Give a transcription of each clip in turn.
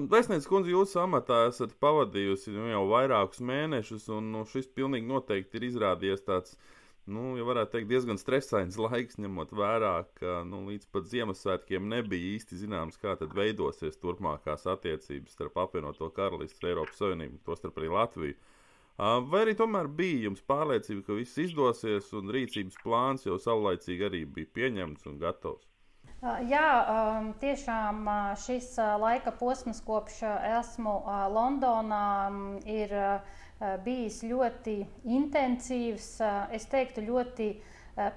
Vēstniece kundze, jūs amatā esat pavadījusi jau vairākus mēnešus, un šis pilnīgi noteikti ir izrādījies tāds, ja varētu teikt, diezgan stresains laiks, ņemot vērā, ka līdz pat Ziemassvētkiem nebija īsti zināms, kā tad veidosies turpmākās attiecības starp apvienoto karalisti un Eiropas Savienību, tostarp arī Latviju. Vai arī tomēr bija jums pārliecība, ka viss izdosies, un rīcības plāns jau savlaicīgi arī bija pieņemts un gatavs? Jā, tiešām šis laika posms, kopš esmu Londonā, ir bijis ļoti intensīvs, es teiktu ļoti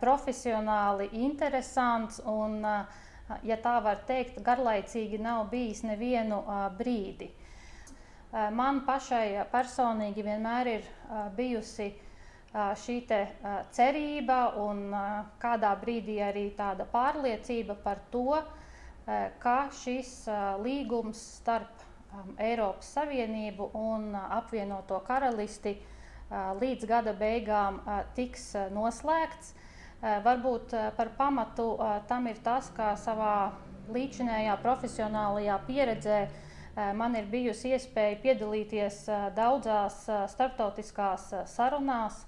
profesionāli interesants un, ja tā var teikt, garlaicīgi nav bijis nevienu brīdi. Man pašai personīgi vienmēr ir bijusi šī cerība un kādā brīdī arī tāda pārliecība par to, ka šis līgums starp Eiropas Savienību un apvienoto karalisti līdz gada beigām tiks noslēgts. Varbūt par pamatu tam ir tas, ka savā līdzinējā profesionālajā pieredzē man ir bijusi iespēja piedalīties daudzās starptautiskās sarunās,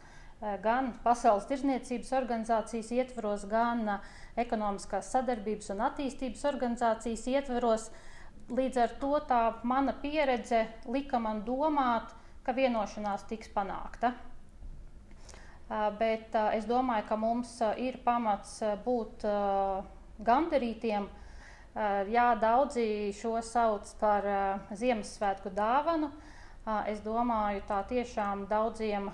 gan Pasaules tirdzniecības organizācijas ietvaros, gan ekonomiskās sadarbības un attīstības organizācijas ietvaros. Līdz ar to tā mana pieredze lika man domāt, ka vienošanās tiks panākta. Bet es domāju, ka mums ir pamats būt gandarītiem. Jā, daudzi šo sauc par Ziemassvētku dāvanu. Es domāju, tā tiešām daudziem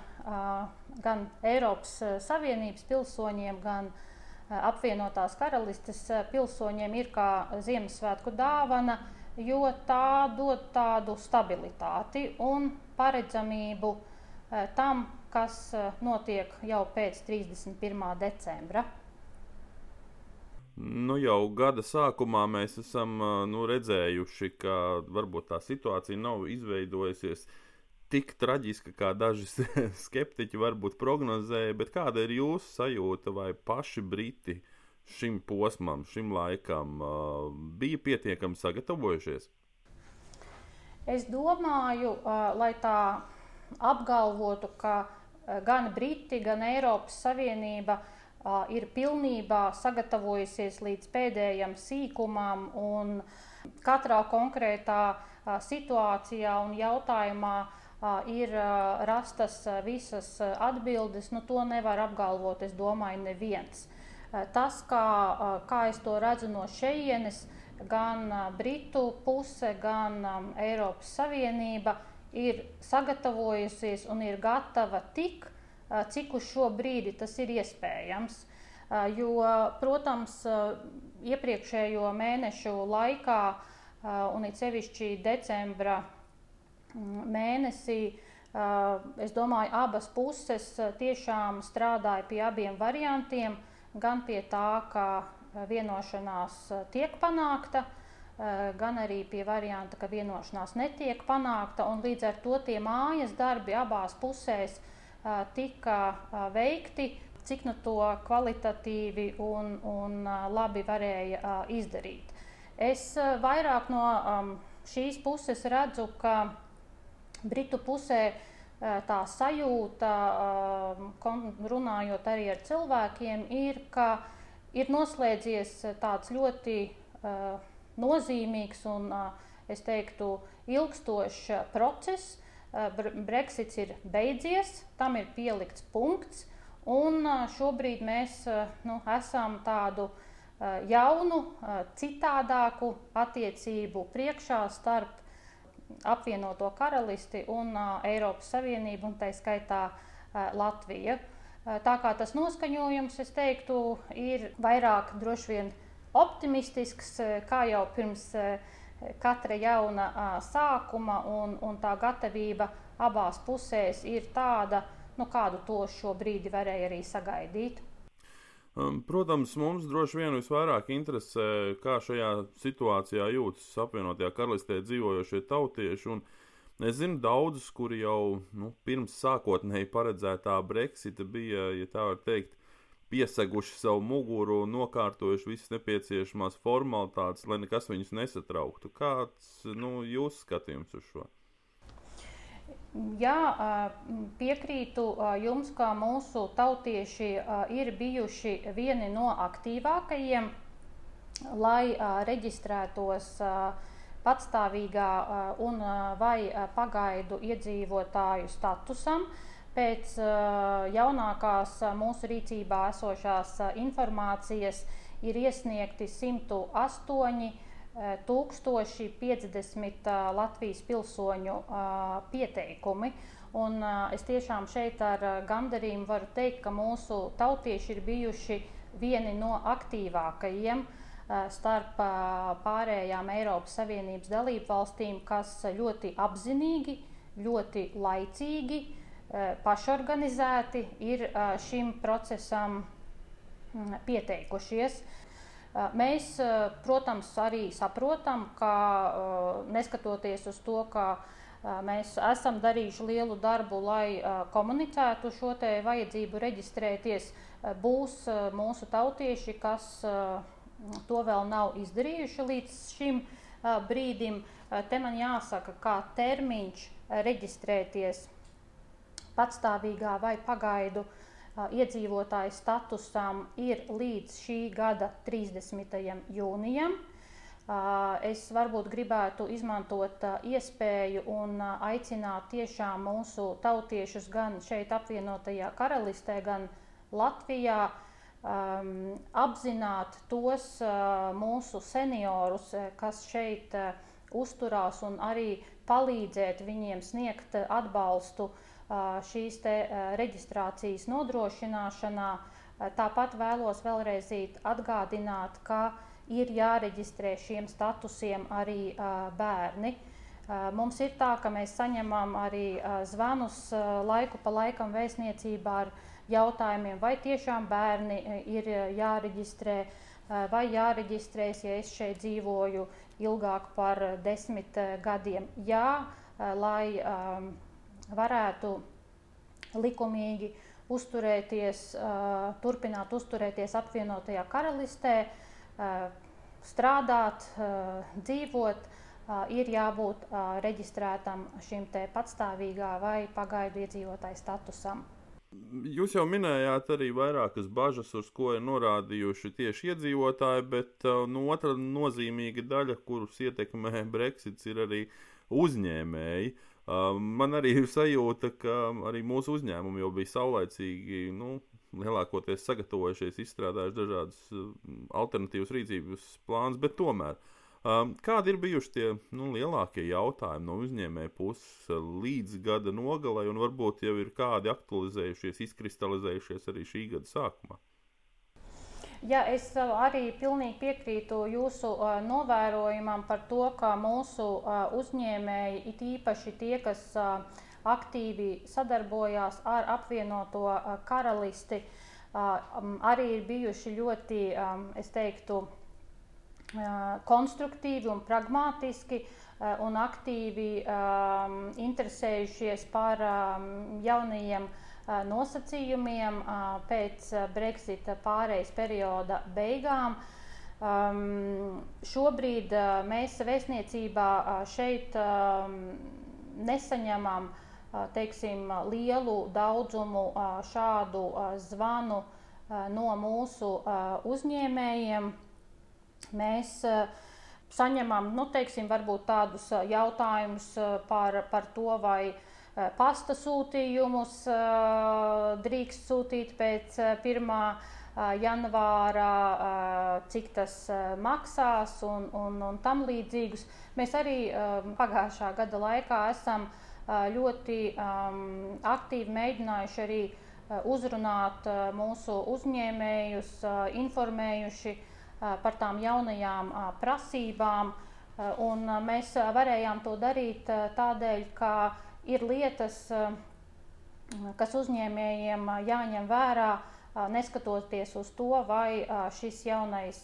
gan Eiropas Savienības pilsoņiem, gan apvienotās karalistes pilsoņiem ir kā Ziemassvētku dāvana, jo tā dod tādu stabilitāti un paredzamību tam, kas notiek jau pēc 31. decembra. Jau gada sākumā mēs esam redzējuši, ka varbūt tā situācija nav izveidojusies tik traģiska, kā daži skeptiķi varbūt prognozēja, bet kāda ir jūsu sajūta, vai paši Briti šim posmam, šim laikam bija pietiekami sagatavojušies? Es domāju, lai tā apgalvotu, ka gan Briti, gan Eiropas Savienība ir pilnībā sagatavojusies līdz pēdējam sīkumam un katrā konkrētā situācijā un jautājumā ir rastas visas atbildes, to nevar apgalvot, es domāju, neviens. Tas, kā es to redzu no šejienes, gan Britu puse, gan Eiropas Savienība ir sagatavojusies un ir gatava tik, cik uz šo brīdi tas ir iespējams. Jo, protams, iepriekšējo mēnešu laikā, un it sevišķi decembra mēnesī, es domāju, abas puses tiešām strādāja pie abiem variantiem, gan pie tā, ka vienošanās tiek panākta, gan arī pie varianta, ka vienošanās netiek panākta, un līdz ar to tie mājas darbi abās pusēs tika veikti, cik to kvalitatīvi un labi varēja izdarīt. Es vairāk no šīs puses redzu, ka Britu pusē tā sajūta, runājot arī ar cilvēkiem, ir, ka ir noslēdzies tāds ļoti nozīmīgs un, es teiktu, ilgstošs process. Brexits ir beidzies, tam ir pielikts punkts, un šobrīd mēs esam tādu jaunu, citādāku attiecību priekšā starp apvienoto karalisti un Eiropas Savienību, un tā skaitā Latvija. Tā kā tas noskaņojums, es teiktu, ir vairāk droši vien optimistisks, kā jau pirms katra jauna sākuma, un tā gatavība abās pusēs ir tāda, kādu to šo brīdi varēja arī sagaidīt. Protams, mums droši vien visvairāk interesē, kā šajā situācijā jūtas apvienotajā karalistē dzīvojošie tautieši. Un es zinu daudzus, kuri jau pirms sākotnēji paredzētā Brexita bija, ja tā var teikt, pieseguši savu muguru un nokārtojuši visas nepieciešamās formalitātes, lai nekas viņus nesatrauktu. Kāds jūsu skatījums uz šo? Jā, piekrītu jums, ka mūsu tautieši ir bijuši vieni no aktīvākajiem, lai reģistrētos patstāvīgā un vai pagaidu iedzīvotāju statusam. Pēc jaunākās mūsu rīcībā esošās informācijas ir iesniegti 108 1050 Latvijas pilsoņu pieteikumi. Un es tiešām šeit ar gandarījumu varu teikt, ka mūsu tautieši ir bijuši vieni no aktīvākajiem starp pārējām Eiropas Savienības dalību valstīm, kas ļoti apzinīgi, ļoti laicīgi, pašorganizēti ir šim procesam pieteikušies. Mēs, protams, arī saprotam, ka neskatoties uz to, ka mēs esam darījuši lielu darbu, lai komunicētu šo te vajadzību reģistrēties, būs mūsu tautieši, kas to vēl nav izdarījuši līdz šim brīdim. Te man jāsaka, ka termiņš reģistrēties patstāvīgā vai pagaidu iedzīvotāju statusam ir līdz šī gada 30. jūnijam. Es varbūt gribētu izmantot iespēju un aicināt tiešām mūsu tautiešus gan šeit apvienotajā karalistē, gan Latvijā apzināt tos mūsu seniorus, kas šeit uzturās, un arī palīdzēt viņiem sniegt atbalstu šīs te reģistrācijas nodrošināšanā. Tāpat vēlos vēlreiz atgādināt, ka ir jāreģistrē šiem statusiem arī bērni. Mums ir tā, ka mēs saņemam arī zvanus laiku pa laikam vēstniecībā ar jautājumiem, vai tiešām bērni ir jāreģistrē, vai jāreģistrēs, ja es šeit dzīvoju ilgāk par 10 gadiem. Jā, lai varētu likumīgi uzturēties, turpināt uzturēties apvienotajā karalistē, strādāt, dzīvot, ir jābūt reģistrētam šim te patstāvīgā vai pagaidu iedzīvotāju statusam. Jūs jau minējāt arī vairākas bažas, uz ko ir norādījuši tieši iedzīvotāji, bet otra nozīmīga daļa, kurus ietekmē Brexits, ir arī uzņēmēji. Man arī ir sajūta, ka arī mūsu uzņēmumi jau bija saulaicīgi, lielākoties sagatavojušies, izstrādājuši dažādas alternatīvas rīcības plānus, bet tomēr. Kādi ir bijuši tie lielākie jautājumi no uzņēmēja puses līdz gada nogalei, un varbūt jau ir kādi aktualizējušies, izkristalizējušies arī šī gada sākumā? Jā, es arī pilnīgi piekrītu jūsu novērojumam par to, ka mūsu uzņēmēji, it īpaši tie, kas aktīvi sadarbojās ar apvienoto karalisti, arī ir bijuši ļoti, es teiktu, konstruktīvi un pragmatiski un aktīvi interesējušies par jaunajiem nosacījumiem pēc Brexita pārejas perioda beigām. Šobrīd mēs vēstniecībā šeit nesaņemam, lielu daudzumu šādu zvanu no mūsu uzņēmējiem. Mēs saņemam, varbūt tādus jautājumus par to, vai pasta sūtījumus drīkst sūtīt pēc 1. janvāra, cik tas maksās un tam līdzīgus. Mēs arī pagājušā gada laikā esam ļoti aktīvi mēģinājuši arī uzrunāt mūsu uzņēmējus, informējuši par tām jaunajām prasībām, un mēs varējām to darīt tādēļ, ka ir lietas, kas uzņēmējiem jāņem vērā, neskatoties uz to, vai šis jaunais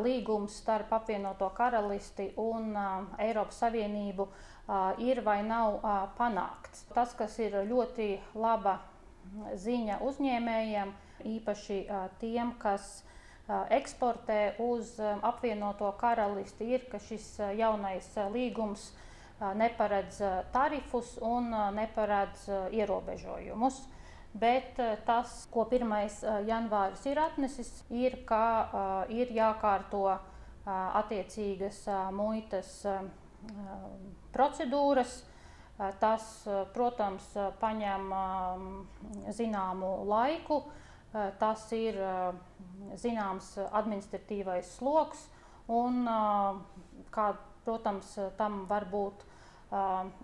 līgums starp apvienoto karalisti un Eiropas Savienību ir vai nav panākts. Tas, kas ir ļoti laba ziņa uzņēmējiem, īpaši tiem, kas eksportē uz apvienoto karalisti, ir, ka šis jaunais līgums neparedz tarifus un neparedz ierobežojumus. Bet tas, ko 1. janvāris ir atnesis, ir, ka ir jākārto attiecīgas muitas procedūras. Tas, protams, paņem zināmu laiku, tas ir zināms administratīvais sloks un, kā, protams, tam var būt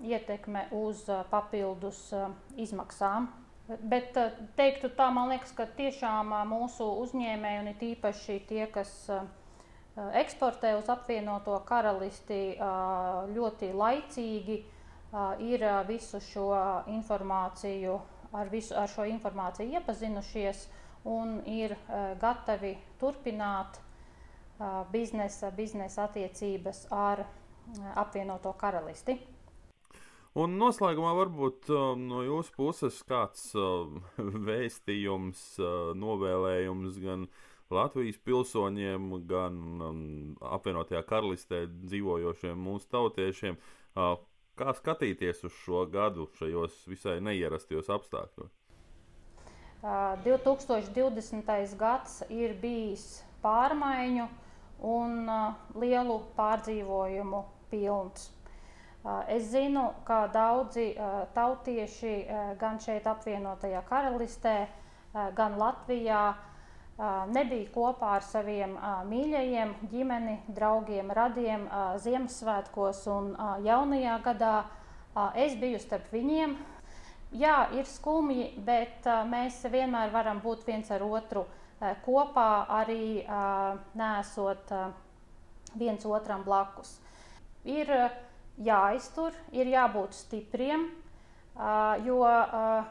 ietekme uz papildus izmaksām. Bet teiktu tā, man liekas, ka tiešām mūsu uzņēmēji un it īpaši tie, kas eksportē uz apvienoto karalisti, ļoti laicīgi ir visu šo informāciju, ar šo informāciju iepazinušies un ir gatavi turpināt biznesa attiecības ar apvienoto karalisti. Un noslēgumā varbūt no jūsu puses kāds vēstījums, novēlējums gan Latvijas pilsoņiem, gan apvienotajā karalistē dzīvojošiem mūsu tautiešiem, kā skatīties uz šo gadu šajos visai neierastajos apstākļos? 2020. gads ir bijis pārmaiņu un lielu pārdzīvojumu pilns. Es zinu, ka daudzi tautieši gan šeit apvienotajā karalistē, gan Latvijā nebija kopā ar saviem mīļajiem, ģimeni, draugiem, radiem Ziemassvētkos un jaunajā gadā. Es biju starp viņiem. Jā, ir skumji, bet mēs vienmēr varam būt viens ar otru kopā, arī neesot viens otram blakus. Ir jāiztur, ir jābūt stipriem, jo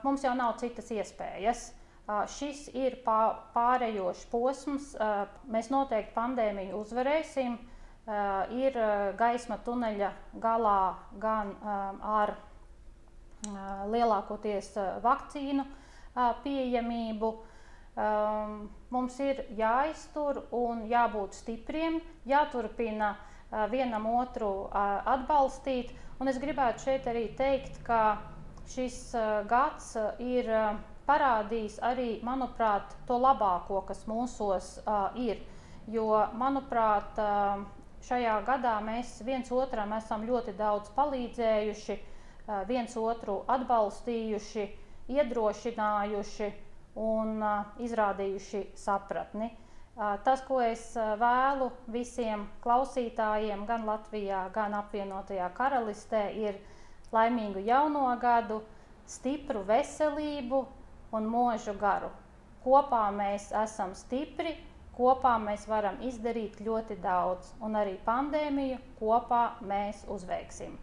mums jau nav citas iespējas. Šis ir pārējošs posms, mēs noteikti pandēmiju uzvarēsim, ir gaisma tuneļa galā gan ar lielākoties vakcīnu pieejamību. Mums ir jāiztur un jābūt stipriem, jāturpina vienam otru atbalstīt. Un es gribētu šeit arī teikt, ka šis gads ir parādījis arī, manuprāt, to labāko, kas mūsos ir. Jo, manuprāt, šajā gadā mēs viens otram esam ļoti daudz palīdzējuši, viens otru atbalstījuši, iedrošinājuši un izrādījuši sapratni. Tas, ko es vēlu visiem klausītājiem gan Latvijā, gan apvienotajā karalistē, ir laimīgu jauno gadu, stipru veselību un mūžu garu. Kopā mēs esam stipri, kopā mēs varam izdarīt ļoti daudz, un arī pandēmiju kopā mēs uzveiksim.